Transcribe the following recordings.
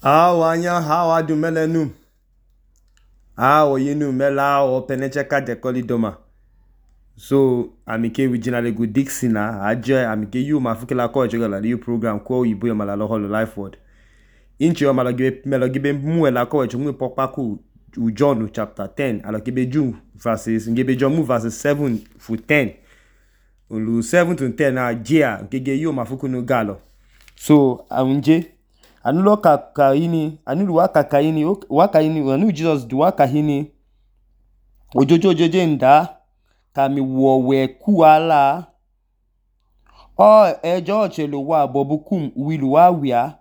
Awanya hawa du melenu. Awo yinu mela o penecheka dekoli doma. So amike originally go Dixie na aje amike you mafukela ko ejogala new program ko yibo yomala lo holo life word. Inchi yomala gibe muela ko ejogmu pokpaku John chapter 10 alokibe June verses ngebe John mu verses 7 to 10. Ulu 7 to 10 na jia ngege you mafukunu galo. So aunje anulo kakaini anulu wakaini anu Jesus du wakahini ojojojeje nda kami wowe kuala o ejo chelo wa bobukum wilu wawia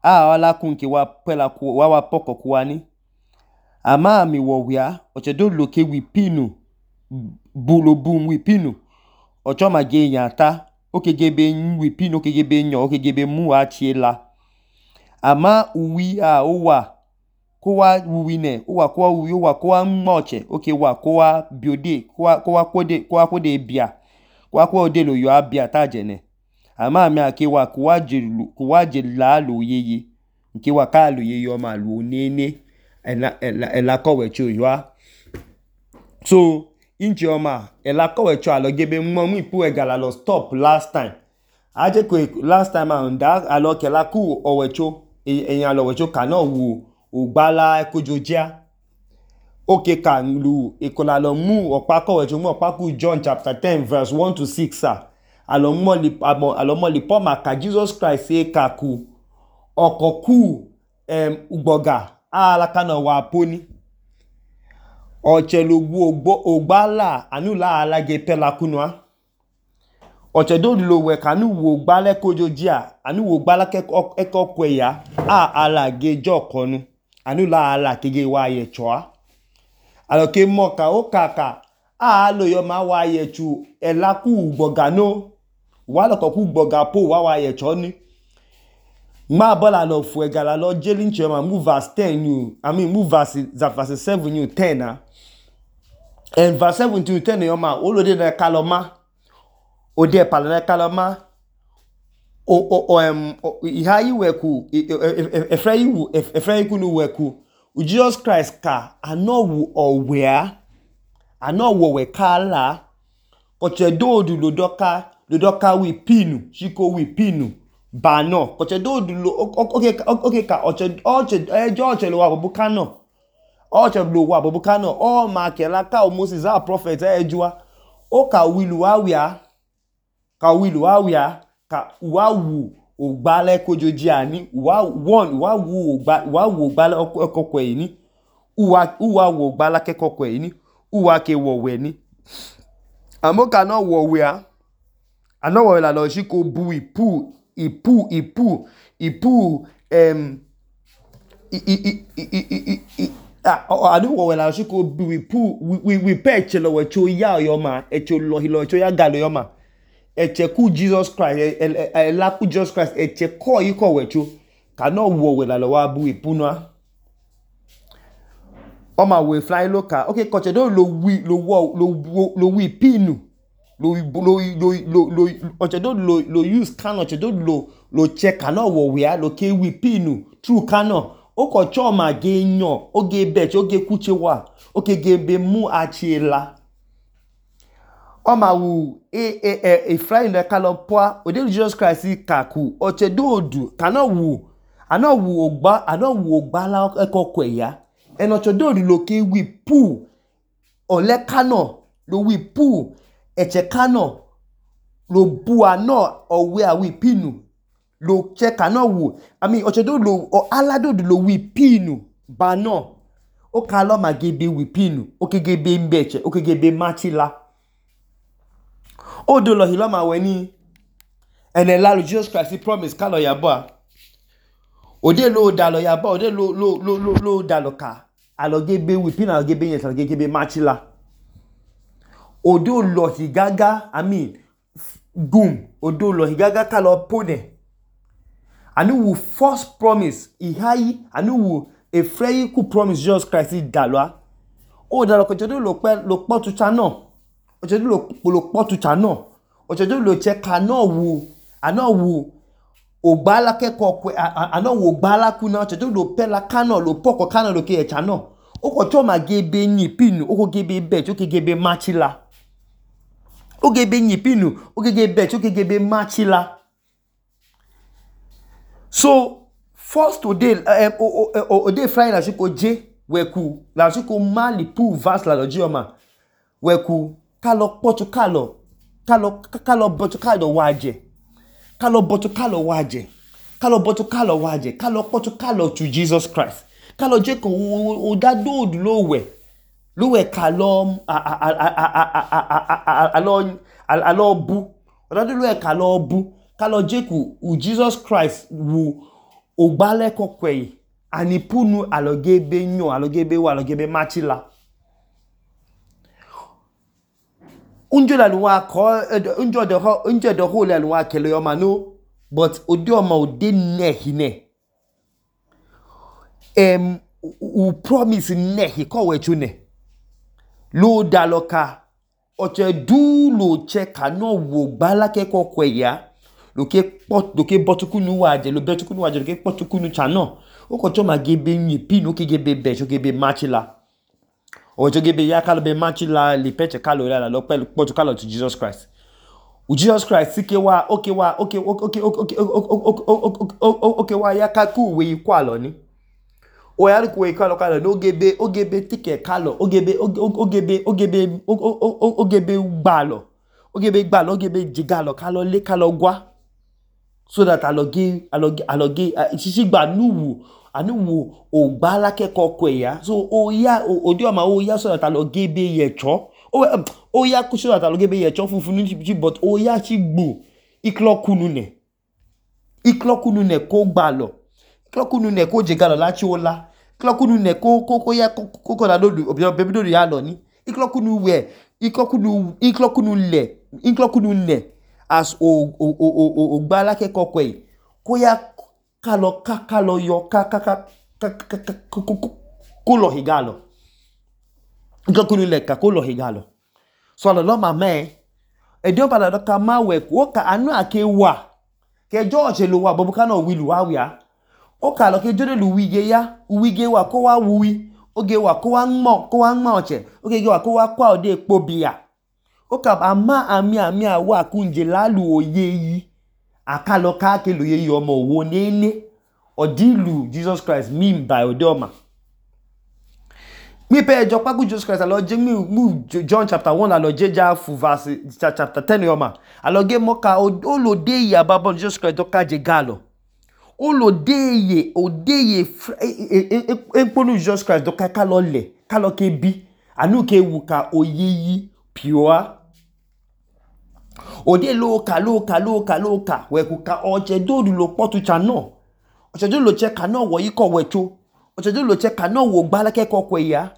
wala kunke wa pela ku wa poko kuani ama mi wowia ochedo loke wipinu bulobum wipinu ochoma ge yata okegebe wipinu okegebe nyo okegebe mu achiela ama uwi owa kowa uwine owa kowa uwi owa kowa moche okewa kowa biode kowa kode bia kowa kode lo yo abia tajene ama mi akewa kowa jela lo yeye nkewa ka lo yeye o ma lo nene ela kowe cho yo. So inchi oma ela kowe cho alogebe mu ipu egala lo stop last time aje ko last time anda aloke la ku owecho eyan lo wecho kana wu ogbala ekojojia oke kan lu ekola lo mu opa kowe cho mu opa ku John chapter 10 verse 1 to 6 alomoli poma ka Jesus Christ e kaku okoku ugboga ala kana wa poni ochelugu ogbala anula alage pela kunwa ochedo lo we kanu wo gbale kojojia anu wo gbala ekokweya alage jokonu anula ala kege wa yechoa aloke moka okaka lo yo ma wa yechu elaku ugboga no wa lo koku ugboga po wa yecho ni ma bola lo fu egala lo jelin chema move verse 10 you move verse 7 you 10 and verse 7 to 10 yo ma olode na kaloma ode palana kaloma ihayi weku efrayi kunu weku Jesus Christ ka anowu owea anowo we kala koche dodu lodoka wi pinu shiko wi pinu bano koche dodu lo okay ka oche lo wa bobukano oche lo wa bobukano o ma kela ka o Moses a prophet ejua o ka wilu awia ka wawu ogbale kojojia ni wa wu ogbale okokwe ni uwa wo ogbala kekokwe ni uwa ke wowe ni amoka no wowe anowo la lo shiko bu ipu anu wowe la shiko bu ipu we peche lo we cho ya yo ma echo lo hilo cho ya galo yo ma echeku Jesus Christ elaku Jesus Christ echeko yiko wecho kano wowe la lo wa bu ipunwa o ma we fly loka okay koche do lo wi pinu lo oche do lo use kano oche do lo check kano wowe lo ke wi pinu true kano o ko cho ma ge yan oge bet oge kuche wa oge gebe mu achiela o ma wu fly na kalopwa ode Jesus Christ kaku oche do kano wu ogba la ekokweya enocho do lo ke wi pu ole kano lo wi pu eche kano lo bu ano owe awi pinu lo che kano wu oche do lo alado lo wi pinu bano o kalo magebe wi pinu o kegebe mbeche o kegebe machila o do lo hiloma weni ene la Jesus Christ promise kalo yabo ode lo dalo yabo ode lo dalo ka alogebe wi pinu alogebe yet alogebe machila odo lo higaga odo lo higaga kalo pone anu wu first promise ihayi anu wu efrayi ku promise Jesus Christ dalwa o dalo ko jodo lo po tucha no o jodo lo po tucha no o jodo lo che kano wu ogbala keko kwe ano wo ogbala kuna ochedo lo pela kano lo poko kano lo ke echa no oko choma gebe nyipinu oko gebe bet oko gebe machila o gebe nyipinu o gebe bet oko gebe machila. So first today ode Friday la shiko je weku la shiko mali pu vas la lojioma weku kalo potu kalo botu kalo waje kalo botu kalo waje kalo botu kalo waje kalo potu kalo to Jesus Christ kalo je ko o da do lo we kalo alo bu o da do lo we kalo bu kalo je ku Jesus Christ wu ogbale kokwe ani punu alogebe nyo alogebe wa alogebe machila. Unjo la nuwa ko unjo de ho la nuwa kele yo mano but odi o ma ode nehine u promise nehi ko we chune lo daloka oche du lo che kano wo gbala ke kokwe ya lo ke botukunu waje lo betukunu waje lo ke potukunu chano o ko choma gebe nyipinu ke gebe be so gebe machila o jo gebe ya kalo be machila li peche kalo la lo pe potukalo to Jesus Christ u Jesus Christ sike wa okay wa ya kaku we kwalo ni o ya ku we kalo no gebe o gebe tike kalo o gebe gbalo o gebe jigalo kalo le kalo gwa so that aloge sisi gba nuwu anuwu ogbala keko kwe ya so o ya odi o ma o ya so that aloge be yecho o ya ku so that aloge be yecho funfun ni but o ya chi gbo iklokunu ne ko gbalo iklokunu ne ko jigalo la chi ola iklokunu ne ko ya ko la do bebi do ya lo ni iklokunu le as o gbala keko kwe ko ya kalo yo kolo higalo iklokunu le ka kolo higalo so lo mama edio pala do ka ma we ko ka anu akewa ke George lo wa bobu kana wilu wa wia o ka lo ke jode lu wige wa ko wa wuwi oge wa ko wa nmo oche oge wa ko wa kwa ode epo bia o ka ama ami wa kunje lalu oye yi akalo ka ke lo ye omo wo nene odilu Jesus Christ mean by odoma mi pe ejo pagu Jesus Christ alo je mi John chapter 1 alo je ja fu verse chapter 10 yoma alo ge moka o lo de ya babo Jesus Christ do ka je galo o lo de ye ponu Jesus Christ do ka lo le kalo ke bi anu ke wu ka oyeyi pure ode loka we ku ka oche do lo potu chano oche do lo che kano wo yi ko wecho oche do lo che kano wo gbala ke ko kwe ya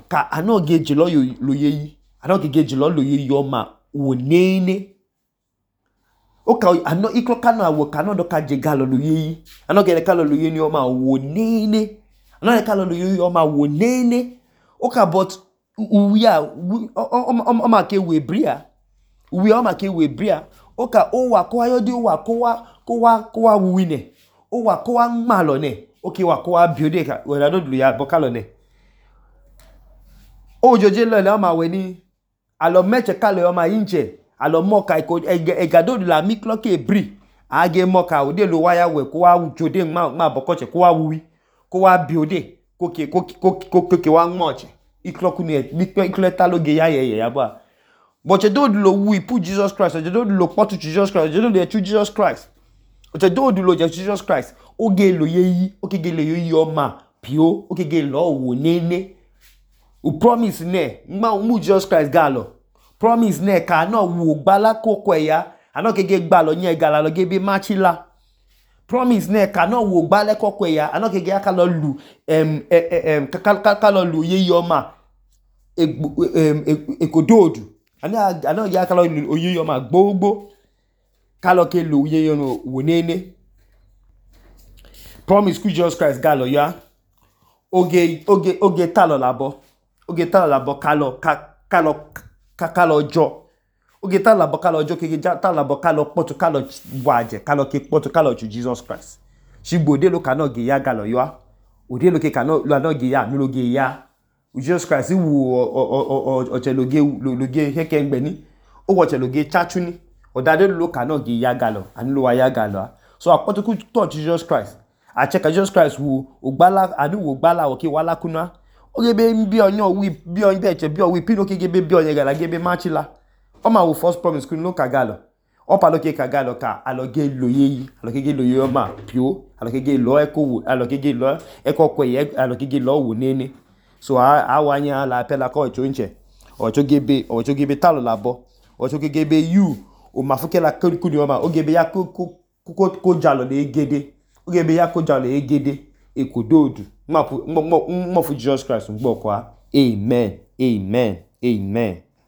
ka ano geji lo yeyi ano geji lo yeyi yo ma wo nene o ka ano iklo kano awo kano do ka je galo lo yeyi ano ge kalo lo yeyi yo ma wo nene ano ge kalo lo yeyi yo ma wo nene o ka but uya o ma ke we bria uwi o ma ke we bria o ka o wa ko ayodi o wa ko wa wine o wa ko wa malo ne o ke wa ko wa biode ka we da do ya bokalo ne o joje lo ma we ni alo meche kalo o ma inje alo moka iko egado la miklo ke bri age moka o de lo waya we ko wa jode ma bokoche ko wa wuwi ko wa biode ko ke wa nmoche ikloku ni ikleta lo ge ya ba but you don't lo we put Jesus Christ you don't lo potu Jesus Christ you don't lo to Jesus Christ you don't lo Jesus Christ oge lo yeyi oge lo yeyi o ma pio oge lo wo nene o promise ne ma mu Jesus Christ galo promise ne ka no wo gbala koko ya ano gege gbalo yen gala lo gebe machila promise ne ka no wo gbala koko ya ano gege aka lo lu ka lo lu yeyi o ma ekododu ano ya kalo oye yo ma gbogbo kalo ke lo oye yo no wonene promise ku Jesus Christ galo ya oge talo labo kalo jo oge talabo kalọ ọjọ kege talabo kalọ kpọtu kalọ waje kalọ ke kpọtu kalọ chu Jesus Christ shigbo odelo kanọ ge ya galọ yọa odelo ke kanọ ge ya anu loge ya Jesus Christ wu ọchẹ loge hẹkẹ ngbẹni ó wọchẹ loge chachuni ọdadelo lo kanọ ge ya galọ anu lo wa ya galọ so akpọtu ku tọ Jesus Christ achẹka Jesus Christ wu ogbala anu wu ogbala oke wala kuna ogebe bi onyo wi bi onye eche bi owi pino ke gebe bi onye gala gebe machila ọma wu first promise kun lo kagalo ọpa lo ke kagalo ka aloge loyeyi aloge loye ọma pio aloge lo eko aloge lo eko kweye aloge lo wo nene so awanya la pela ko chonche ocho gebe talo labo ocho gebe you o mafuke la kuni ọma ogebe ya ko jalo le gede ogebe ya ko jalo le gede ekododu mo fu Jesus Christ ngbo kwa amen.